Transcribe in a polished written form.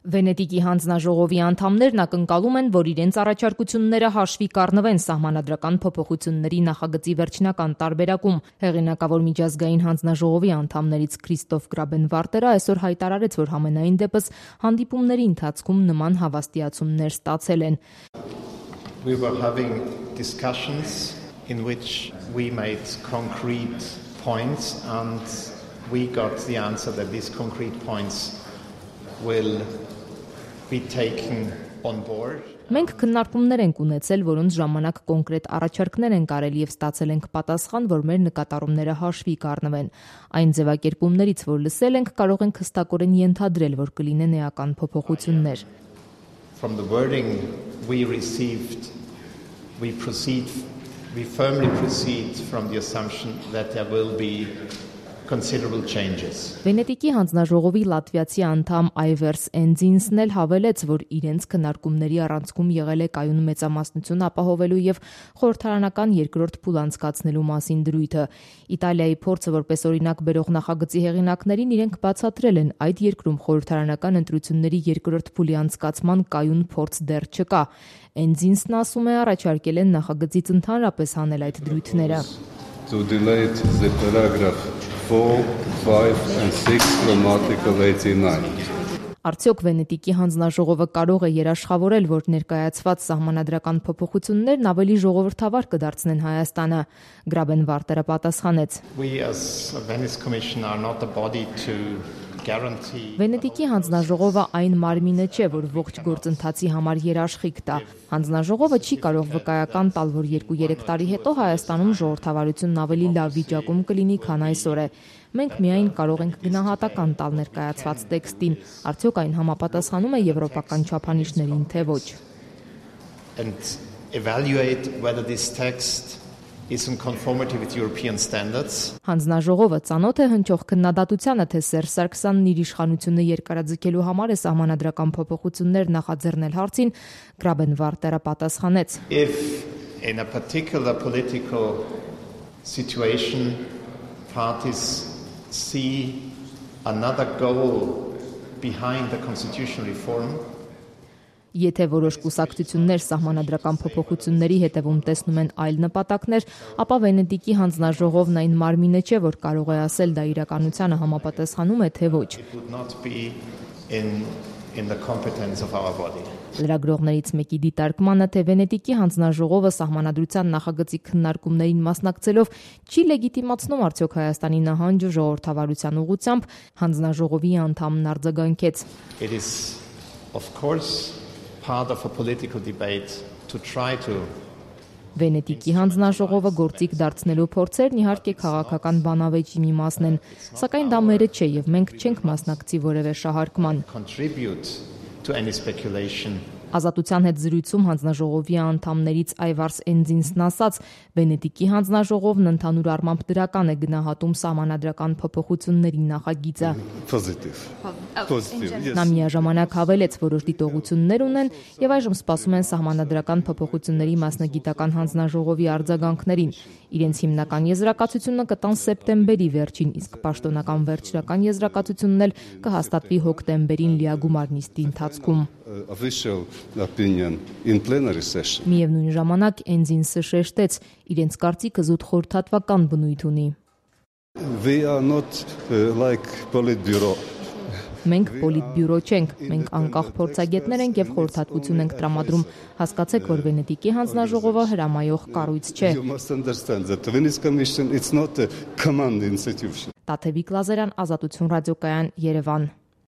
Վենետիկի հանձնաժողովի անդամներն ակնկալում են, որ իրենց առաջարկությունները հաշվի կառնվեն սահմանադրական փոփոխությունների նախագծի վերջնական տարբերակում։ Հեղինակավոր միջազգային հանձնաժողովի անդամներից Քրիստոֆ Գրաբենվարտերը այսօր հայտարարեց, որ համենայն դեպս հանդիպումների ընթացքում նման հավաստիացումներ ստացել են։ We were having discussions in which we made concrete points and we got the answer that these concrete points will be taken on board. Մենք քննարկումներ ենք ունեցել, որոնց ժամանակ կոնկրետ առաջարկներ են կարել եւ ստացել ենք պատասխան, որ մեր նկատառումները հաշվի կառնվեն։ Այն ձևակերպումներից, որ լսել ենք, կարող ենք հստակորեն ենթադրել, որ կլինեն էական փոփոխություններ։ From the wording we received, we firmly proceed from the assumption that there will be considerable changes. Վենետիկի հանձնաժողովի լատվիացի անդամ Այվերս Էնձինսն էլ հավելեց, որ իրենց քննարկումների առանցքում եղել է կայուն մեծամասնություն ապահովելու եւ խորհրդարանական երկրորդ փուլ անցկացնելու մասին դրույթը։ Իտալիայի փորձը որպես օրինակ բերող նախագծի հեղինակներին իրենք բացատրել են, այդ երկրում խորհրդարանական ընտրությունների երկրորդ փուլի անցկացման կայուն փորձ դեռ չկա։ Էնձինսն ասում է, առաջարկել են նախագծից ընդհանրապես հանել այդ դրույթները։ To delete the paragraph 4, 5 and 6 from Article 89. Արդյոք Վենետիկի հանձնաժողովը կարող է երաշխավորել, որ ներկայացված սահմանադրական փոփոխություններն ավելի ժողովրդավար կդարձնեն Հայաստանը։ Գրաբենվարտերը պատասխանեց. We as a Venice Commission are not a body to guarantee. Վենետիկի հանձնաժողովը այն մարմինը չէ, որ ողջ գործընթացի համար երաշխիք տա։ Հանձնաժողովը չի կարող վկայական տալ, որ 2-3 տարի հետո Հայաստանում ժողովրդավարությունն ավելի լավ վիճակում կլինի, քան այսօր է։ Մենք միայն կարող ենք գնահատական տալ ներկայացված տեքստին, արդյոք այն համապատասխանում է եվրոպական չափանիշներին, թե ոչ։ And evaluate whether this text is in conformity with European standards. Հանձնաժողովը ծանոթ է հնչող քննադատությանը, թե Սերժ Սարգսյանն իր իշխանությունը երկարաձգելու համար է սահմանադրական փոփոխություններ նախաձեռնել հարցին, Գրաբենվարտերը պատասխանեց. If in a particular political situation parties see another goal behind the constitutional reform, Եթե որոշ կուսակցություններ սահմանադրական փոփոխությունների հետևում տեսնում են այլ նպատակներ, ապա Վենետիկի հանձնաժողովն այն մարմինը չէ, որ կարող է ասել դա իրականությանը համապատասխանում է, թե ոչ։ it would not be in the competence of our body. Լրագրողներից մեկի դիտարկմանը, թե Վենետիկի հանձնաժողովը սահմանադրության նախագծի քննարկումներին մասնակցելով չի լեգիտիմացնում արդյոք Հայաստանի նահանջը ժողովրդավարության ուղղությամբ, հանձնաժողովի անդամն արձագանքեց. It is of course part of a political debate to try to Վենետիկի հանձնաժողովը գործիք դարձնելու փորձերն իհարկե քաղաքական բանավեճի մի մասն են, սակայն դա մերը չէ եւ մենք չենք մասնակցի որևէ շահարկման։ contribute to any speculation. Ազատության հետ զրույցում հանձնաժողովի անդամներից Այվարս Էնձինսն ասաց, Վենետիկի հանձնաժողովն ընդհանուր առմամբ դրական է գնահատում սահմանադրական փոփոխությունների նախագիծը։ Positive. Yes. Նա միաժամանակ հավելեց, որոշ դիտողություններ ունեն եւ այժմ սպասում են սահմանադրական փոփոխությունների մասնագիտական հանձնաժողովի արձագանքներին։ Իրենց հիմնական եզրակացությունը կտան սեպտեմբերի վերջին, իսկ պաշտոնական վերջնական եզրակացությունն էլ կհաստատվի հոկտեմբերին լիագումար նիստի ընթացքում։ Official opinion in plenary session. Միևնույն ժամանակ Էնձինսը շեշտեց, իրենց կարծիքը զուտ խորհրդատվական բնույթ ունի։ We are not like Politburo. Մենք պոլիտբյուրո չենք, մենք անկախ փորձագետներ ենք եւ խորհրդատվություն ենք տրամադրում։ Հասկացեք, որ Վենետիկի հանձնաժողովը հրամայող կառույց չէ։ You must understand that the Venice Commission it's not a command institution. Տաթևիկ Լազարյան, Ազատություն ռադիոկայան, Երևան։